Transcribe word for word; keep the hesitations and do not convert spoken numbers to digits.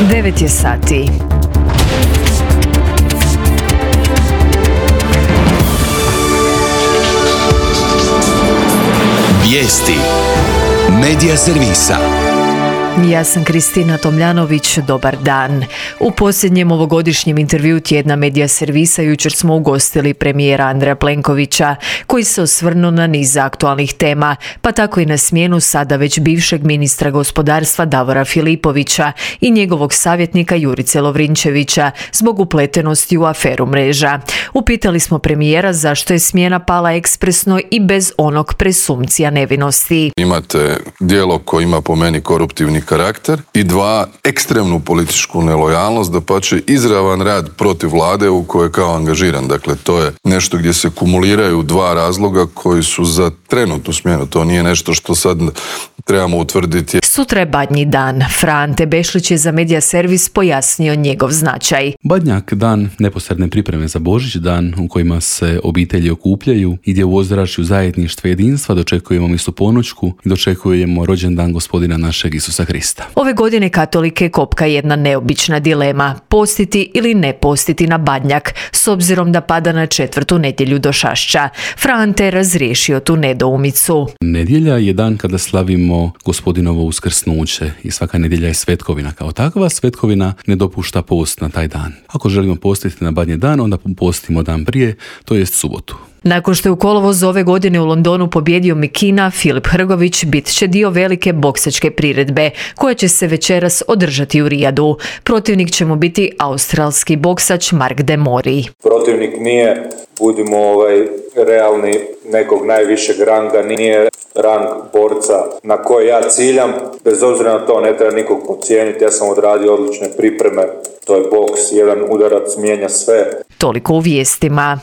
devet je sati. Vijesti Medija servisa. Ja sam Kristina Tomljanović, dobar dan. U posljednjem ovogodišnjem intervjuu tjedna Medija servisa jučer smo ugostili premijera Andreja Plenkovića, koji se osvrnuo na niz aktualnih tema, pa tako i na smjenu sada već bivšeg ministra gospodarstva Davora Filipovića i njegovog savjetnika Jurice Lovrinčevića zbog upletenosti u aferu Mreža. Upitali smo premijera zašto je smjena pala ekspresno i bez onog presumpcija nevinosti. Imate djelo koje ima po meni koruptivni karakter i dva, ekstremnu političku nelojalnost, dapače izravan rad protiv vlade u kojoj je kao angažiran. Dakle, to je nešto gdje se kumuliraju dva razloga koji su za trenutnu smjenu. To nije nešto što sad trebamo utvrditi. Sutra je Badnji dan. Fra Ante Bešlić je za Medija servis pojasnio njegov značaj. Badnjak, dan neposredne pripreme za Božić, dan u kojima se obitelji okupljaju i gdje u ozračju zajedništva i jedinstva dočekujemo misu ponoćku i dočekujemo rođendan gospodina našeg Isusa Krista. Ove godine katolike kopka jedna neobična dilema, postiti ili ne postiti na Badnjak, s obzirom da pada na četvrtu nedjelju do Šašća. Fra Ante je razriješio tu nedoumicu. Nedjelja je dan kada slavimo gospodinovo uskrsnuće i svaka nedjelja je svetkovina. Kao takva svetkovina ne dopušta post na taj dan. Ako želimo postiti na Badnji dan, onda postimo dan prije, to jest subotu. Nakon što je u kolovozu ove godine u Londonu pobjedio Mikina, Filip Hrgović bit će dio velike boksačke priredbe, koja će se večeras održati u Rijadu. Protivnik će mu biti australski boksač Mark De Mori. Protivnik nije, budimo ovaj, realni, nekog najvišeg ranga, nije rang borca na koji ja ciljam. Bez obzira na to ne treba nikog podcijeniti, ja sam odradio odlične pripreme. To je boks, jedan udarac mijenja sve. Toliko u vijestima.